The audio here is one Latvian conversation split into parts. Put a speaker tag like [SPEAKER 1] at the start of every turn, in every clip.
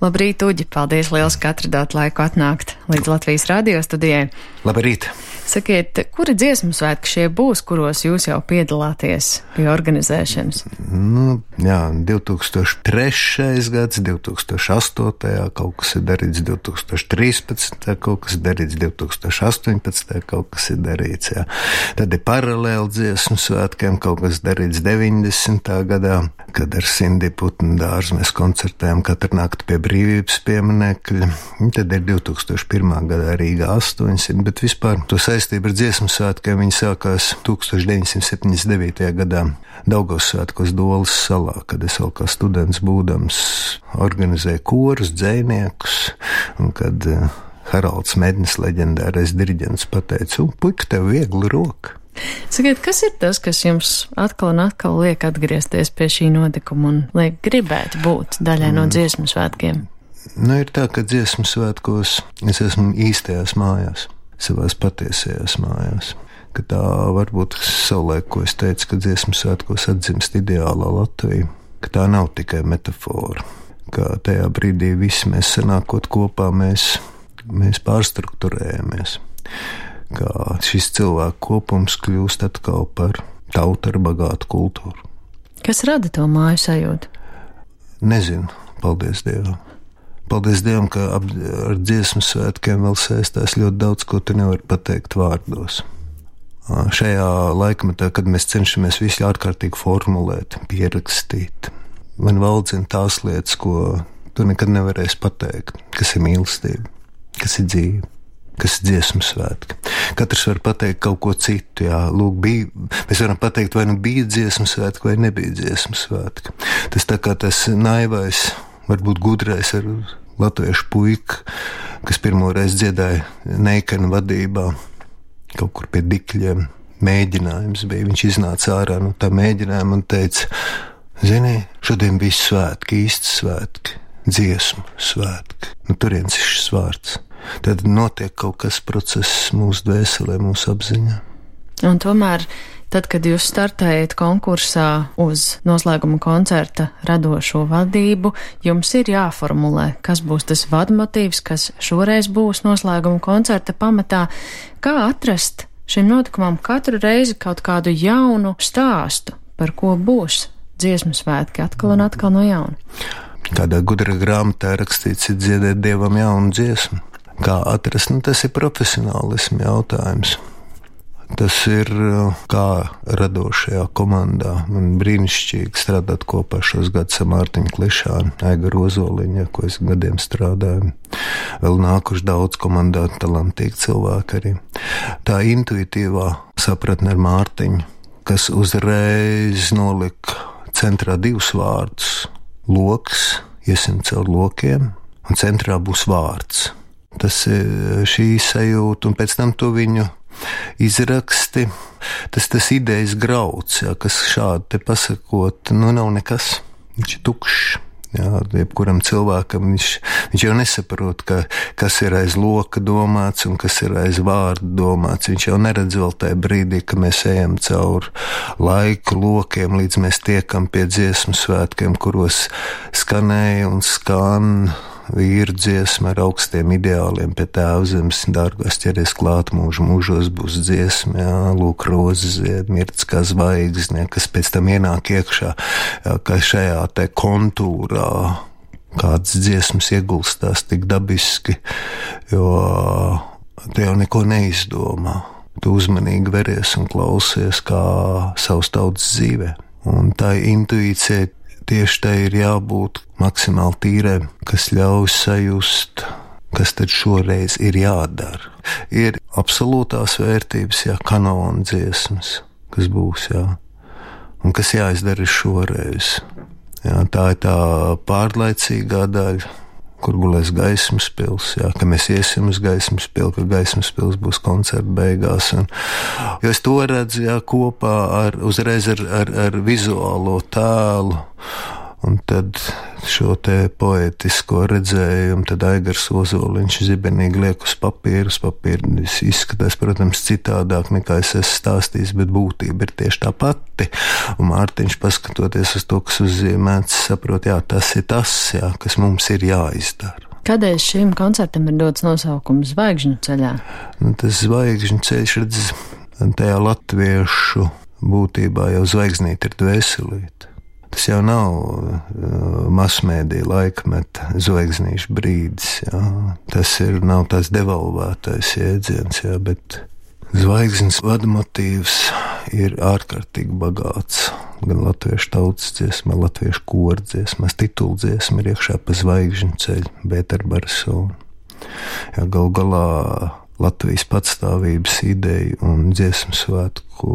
[SPEAKER 1] Labrīt, Uģi! Paldies liels, ka atradāt laiku atnākt līdz Latvijas radio studijai.
[SPEAKER 2] Labrīt!
[SPEAKER 1] Sakiet, kuri dziesmu svētki šie būs, kuros jūs jau piedalāties pie organizēšanas?
[SPEAKER 2] 2003. gads, 2008. kaut kas ir darīts, 2013. kaut kas ir darīts, 2018. kaut kas ir darīts, jā. Tad ir paralēli dziesmu svētkiem, kaut kas darīts 90. gadā, kad ar Sindi Putnu dārzu mēs koncertējam katru nakti pie brīvības pieminekļa. Tad ir 2001. gadā Rīgā 800, bet vispār to saistību ar dziesmu svētkiem viņi sākās 1979. gadā Daugavas svētkos Dolas salā, kad es vēl kā students būdams organizēju korus, dzejniekus, un kad Haralds Mednis, leģendārais diriģents, pateica, puika, tev viegli roka.
[SPEAKER 1] Sakiet, kas ir tas, kas jums atkal un atkal liek atgriezties pie šī notikuma un liek gribēt būt daļai no dziesmu svētkiem?
[SPEAKER 2] Ir tā, ka dziesmu svētkos es esmu īstajās mājās, savās patiesajās mājās. Ka tā varbūt savulaik, ko es teicu, ka dziesmu svētkos atzimst ideālā Latvija, ka tā nav tikai metafora, ka tajā brīdī visi mēs sanākot kopā, mēs pārstrukturējamies, ka šis cilvēku kopums kļūst atkal par tautu ar bagātu kultūru.
[SPEAKER 1] Kas rada to māju sajūtu?
[SPEAKER 2] Nezinu, paldies Dievam. Paldies Dievam, ka ar dziesmu svētkiem vēl saistās ļoti daudz, ko tu nevari pateikt vārdos. Šajā laikmetā, kad mēs cenšamies visu ārkārtīgi formulēt, pierakstīt, man valdzina tās lietas, ko tu nekad nevarēsi pateikt, kas ir mīlestība, kas ir dzīve, kas ir dziesmu svētki. Katrs var pateikt kaut ko citu, jā, mēs varam pateikt, vai nu bija dziesmu svētki, vai nebija dziesmu svētki. Tas tā kā tas naivais, varbūt gudrais ar latviešu puika, kas pirmoreiz dziedāja Neikena vadībā, kaut kur pie Dikļiem, mēģinājums bija. Viņš iznāca ārā no tā mēģinājuma un teica, zini, šodien bija svētki, īsti svētki, dziesmu svētki. Turienes ir šis vārds. Tad notiek kaut kas process mūsu dvēselē, mūsu apziņā.
[SPEAKER 1] Un tomēr, tad, kad jūs startējat konkursā uz noslēguma koncerta radošo vadību, jums ir jāformulē, kas būs tas vadmotīvs, kas šoreiz būs noslēguma koncerta pamatā. Kā atrast šim notikumam katru reizi kaut kādu jaunu stāstu, par ko būs dziesmu svētki atkal un atkal no jauna?
[SPEAKER 2] Kādā gudra grāmatā rakstīts, ir dziedēt Dievam jaunu dziesmu. Kā atrast? Tas ir profesionālismu jautājums. Tas ir kā radošajā komandā. Man brīnišķīgi strādāt kopā šos gadus ar Mārtiņu Klišānu, Aigaru Ozoliņu, ko es gadiem strādāju. Vēl nākuši daudz komandā talantīgi cilvēki arī. Tā intuitīvā sapratne ar Mārtiņu, kas uzreiz nolika centrā divus vārdus. Loks, iesim caur lokiem, un centrā būs vārds. Tas ir šī sajūta, un pēc tam to viņu izraksti, tas idejas grauds, jā, kas šādi te pasakot, nav nekas, viņš ir tukšs. Jā, jebkuram cilvēkam viņš jau nesaprot, kas ir aiz loka domāts un kas ir aiz vārda domāts. Viņš jau neredz vēl tajā brīdī, ka mēs ejam caur laiku lokiem, līdz mēs tiekam pie dziesmu svētkiem, kuros skanēja un skan vīru dziesma ar augstiem ideāliem pie Tēvzemes, dārgās ķeries klāt mūžu, mūžos būs dziesma, jā, lūk, rozes zied, mirts kā zvaigzne, kas pēc tam ienāk iekšā, jā, kā šajā te kontūrā, kādas dziesmas iegulstās tik dabiski, jo tu jau neko neizdomā. Tu uzmanīgi veries un klausies kā savas tautas dzīvē. Un tā intuīcija tieši tā ir jābūt maksimāli tīrai, kas ļauj sajust, kas tad šoreiz ir jādara. Ir absolūtās vērtības, jā, kanona dziesmas, kas būs, jā, un kas jāizdara šoreiz. Jā, tā ir tā pārlaicīgā daļa, kur gulēs Gaismas pils, jā, ka mēs iesim uz Gaismas pili, ka Gaismas pils būs koncerta beigās. Jo es to redzu, jā, kopā uzreiz ar vizuālo tēlu, un tad šo te poētisko redzējumu, tad Aigars Ozoliņš zibenīgi liek uz papīru. Uz papīra izskatās, protams, citādāk nekā es esmu stāstījis, bet būtība ir tieši tā pati. Un Mārtiņš, paskatoties uz to, kas uzzīmēts, saprot, jā, tas ir tas, jā, kas mums ir jāizdara.
[SPEAKER 1] Kādēļ šim koncertam ir dots nosaukums Zvaigžņu ceļā?
[SPEAKER 2] Tas Zvaigžņu ceļš, redz, tajā latviešu būtībā jau zvaigznīte ir dvēselīte. Tas jau nav masmēdija laikmeta zvaigznīšu brīdis, jā. Tas nav tās devalvētais jēdziens, jā, bet zvaigznes vadmotīvs ir ārkārtīgi bagāts. Gan latviešu tautas dziesmā, latviešu koru dziesmās, tituldziesma ir iekšā pa Zvaigžņu ceļu, Bēterbarsona. Jā, gal galā Latvijas patstāvības ideja un dziesmu svētku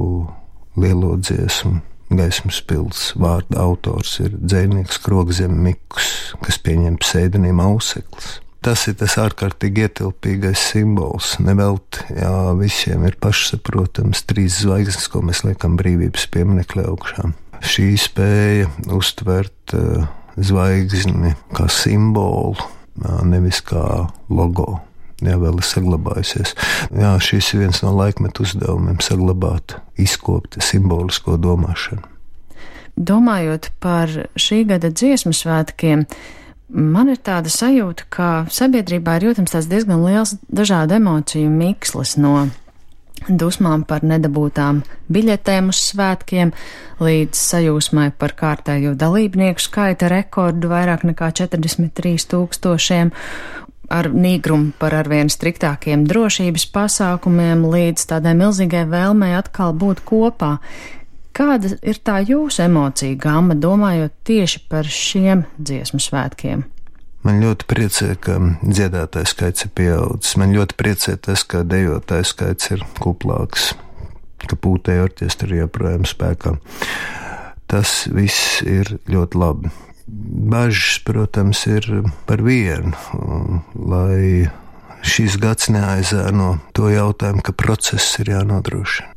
[SPEAKER 2] lielo dziesmu Gaismas pils vārda autors ir dzejnieks Krogzem Mikus, kas pieņem pseidonīmu Auseklis. Tas ir tas ārkārtīgi ietilpīgais simbols. Nevelti, jā, visiem ir pašsaprotams 3 zvaigznes, ko mēs liekam brīvības pieminekļa augšā. Šī spēja uztvert zvaigzni kā simbolu, nevis kā logo. Jā, vēl ir saglabājusies. Jā, šis ir viens no laikmetu uzdevumiem - saglabāt, izkopt simbolisko domāšanu.
[SPEAKER 1] Domājot par šī gada dziesmu svētkiem, man ir tāda sajūta, ka sabiedrībā ir jūtams tāds diezgan liels dažādu emociju mikslis no dusmām par nedabūtām biļetēm uz svētkiem, līdz sajūsmai par kārtējo dalībnieku skaita rekordu vairāk nekā 43 000, ar nīgrumu par arvien striktākiem drošības pasākumiem, līdz tādai milzīgai vēlmei atkal būt kopā. Kāda ir tā jūsu emocija gama, domājot tieši par šiem dziesmu svētkiem?
[SPEAKER 2] Man ļoti priecē, ka dziedātāju skaits ir pieaudzis. Man ļoti priecē tas, ka dejotāju skaits ir kuplāks, ka pūtēju orķestri joprojām spēkā. Tas viss ir ļoti labi. Bažas, protams, ir par vienu, lai šis gads neaizēno to jautājumu, ka process ir jānodrošina.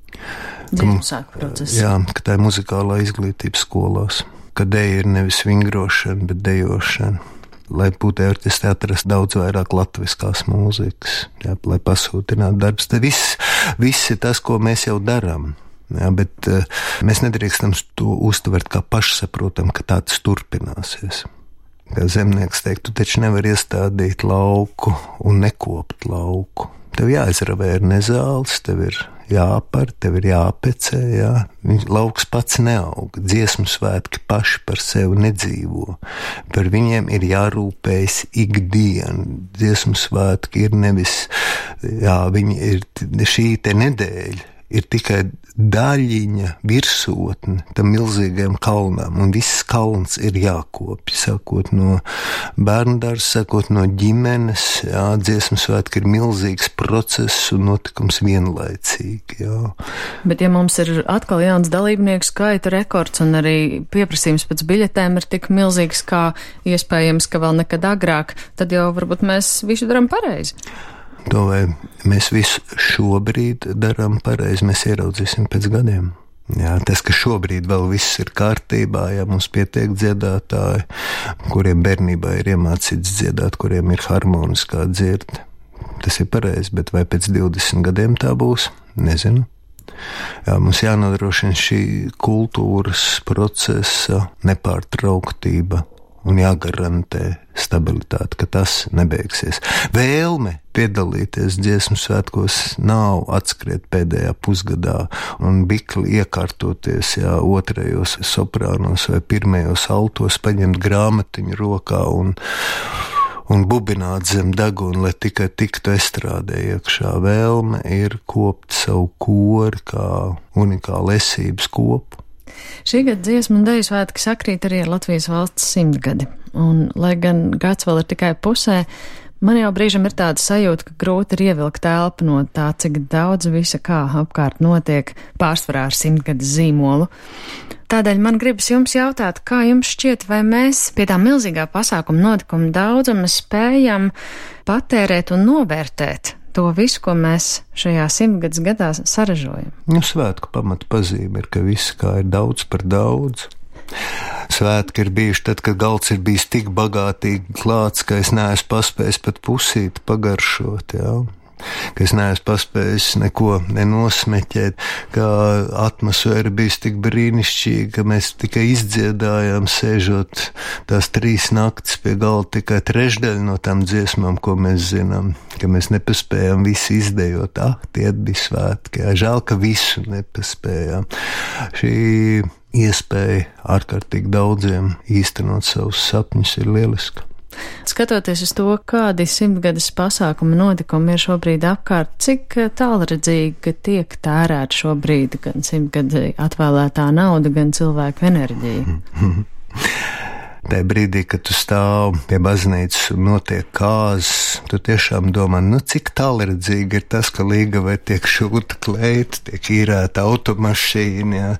[SPEAKER 2] Jā, ka tā ir muzikālā izglītība skolās, ka deja ir nevis vingrošana, bet dejošana. Lai pūtēju orķestri atrastu daudz vairāk latviskās mūzikas, jā, lai pasūtinātu darbs. Tad viss ir tas, ko mēs jau darām. Jā, bet mēs nedrīkstam to uztvert kā pašsaprotam, ka tā tas turpināsies. Kā zemnieks teikt, tu taču nevar iestādīt lauku un nekopt lauku. Tev jāizravē ar nezāles, tev ir jāpar, tev ir jāpecē, jā. Lauks pats neaug, dziesmu svētki paši par sevi nedzīvo. Par viņiem ir jārūpējas ikdienu. Dziesmu svētki ir nevis, jā, viņi ir šī te nedēļa. Ir tikai daļiņa virsotne tam milzīgajam kalnam, un viss kalns ir jākopj, sākot no bērndārza, sākot no ģimenes, jā, dziesmu svētki ir milzīgs process un notikums vienlaicīgi, jā.
[SPEAKER 1] Bet ja mums ir atkal jauns dalībnieku skaita rekords un arī pieprasījums pēc biļetēm ir tik milzīgs, kā iespējams, ka vēl nekad agrāk, tad jau varbūt mēs visu darām pareizi.
[SPEAKER 2] To vai mēs visu šobrīd darām pareizi, mēs ieraudzīsim pēc gadiem. Jā, tas, ka šobrīd vēl viss ir kārtībā, ja mums pietiek dziedātāji, kuriem bērnībā ir iemācīts dziedāt, kuriem ir harmoniskā dzirde. Tas ir pareizi, bet vai pēc 20 gadiem tā būs? Nezinu. Jā, mums jānodrošina šī kultūras procesa nepārtrauktība un jāgarantē stabilitāte, ka tas nebeigsies. Vēlme piedalīties dziesmu svētkos nav atskriet pēdējā pusgadā un bikli iekārtoties, jā, otrajos soprānos vai pirmajos altos, paņemt grāmatiņu rokā un bubināt zem deguna, lai tikai tiktu estrādē iekšā. Vēlme ir kopt savu kori kā unikālu esības kopu.
[SPEAKER 1] Šī gada dziesmu un deju svētki sakrīt arī ar Latvijas valsts 100 gadi, un, lai gan gads vēl ir tikai pusē, man jau brīžam ir tāda sajūta, ka grūti ir ievilkt elpu no tā, cik daudz visa kā apkārt notiek, pārsvarā ar 100 gadu zīmolu. Tādēļ man gribas jums jautāt, kā jums šķiet, vai mēs pie tā milzīgā pasākuma notikuma daudzuma spējam patērēt un novērtēt to visu, ko mēs šajā 100 gadā saražojam.
[SPEAKER 2] Svētku pamata pazīme ir, ka viss kā ir daudz par daudz. Svētki ir bijuši tad, kad galds ir bijis tik bagātīgi klāts, ka es neesmu paspējis pat pusīti pagaršot, jā. Ka es neesmu paspējis neko nenosmeķēt, ka atmosfēra bijis tik brīnišķīga, ka mēs tikai izdziedājām, sēžot tās 3 naktis pie galda, tikai trešdaļa no tām dziesmām, ko mēs zinām, ka mēs nepaspējām visu izdejot. Tie bija svētki, žēl, ka visu nepaspējām. Šī iespēja ārkārtīgi daudziem īstenot savus sapņus ir lieliska.
[SPEAKER 1] Skatoties uz to, kādi 100-gades pasākumi notikumi ir šobrīd apkārt, cik tālredzīgi tiek tērēt šobrīd gan 100-gadi atvēlētā nauda, gan cilvēku enerģija?
[SPEAKER 2] Tajā brīdī, kad tu stāv pie baznīcas un notiek kāzas, tu tiešām domā, cik tālredzīgi ir tas, ka Līgavai tiek šūta kleita, tiek īrēta automašīna,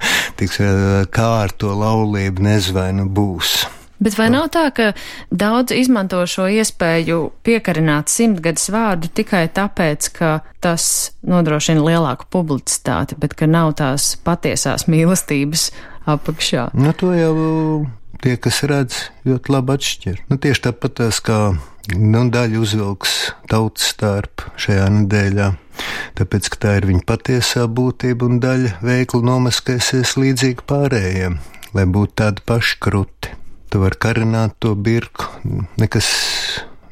[SPEAKER 2] kā ar to laulību nezvainu būs.
[SPEAKER 1] Bet vai nav tā, ka daudz izmanto šo iespēju piekarināt 100-gades vārdu tikai tāpēc, ka tas nodrošina lielāku publicitāti, bet ka nav tās patiesās mīlestības apakšā?
[SPEAKER 2] To jau tie, kas redz, ļoti labi atšķir. Tieši tāpat tās, kā daļa uzvilks tautas stārpu šajā nedēļā, tāpēc, ka tā ir viņa patiesā būtība, un daļa veikli nomaskēsies līdzīgi pārējiem, lai būtu tādi paši kruti. Tu vari karināt to birku,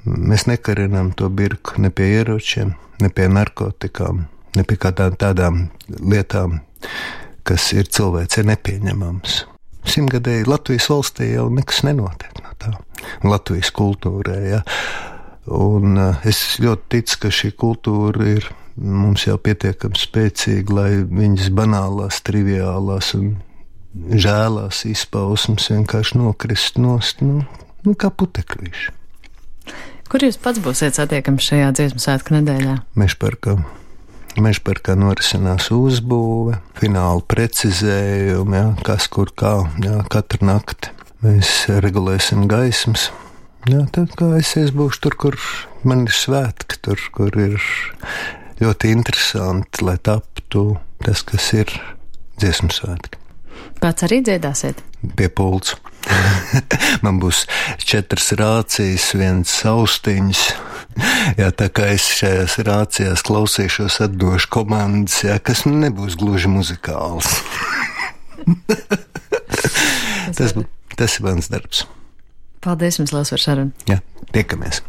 [SPEAKER 2] mēs nekarinām to birku ne pie ieročiem, ne pie narkotikām, ne pie tādām lietām, kas ir cilvēcei nepieņemams. 100-gadēji Latvijas valstī jau nekas nenotiek no tā, Latvijas kultūrē, ja. Un es ļoti ticu, ka šī kultūra ir mums jau pietiekami spēcīga, lai viņas banālās, triviālās un žēlās izpausmes vienkārši nokrist nost, kā putekļīši.
[SPEAKER 1] Kur jūs pats būsiet satiekams šajā dziesmu svētku nedēļā?
[SPEAKER 2] Mežparkā norisinās uzbūve, fināla precizējumi, kas kur kā, katru nakti. Mēs regulēsim gaismas. Tad kā es būšu tur, kur man ir svētki, tur, kur ir ļoti interesanti, lai taptu tas, kas ir dziesmu svētki.
[SPEAKER 1] Pats arī dziedāsiet?
[SPEAKER 2] Pie pults. Man būs 4 rācijas, 1 austiņas. Tā kā es šajās rācijās klausīšos, atdošu komandas, kas nebūs gluži muzikāls. Tas ir mans darbs.
[SPEAKER 1] Paldies jums, Lās, par sarunu.
[SPEAKER 2] Tiekamies.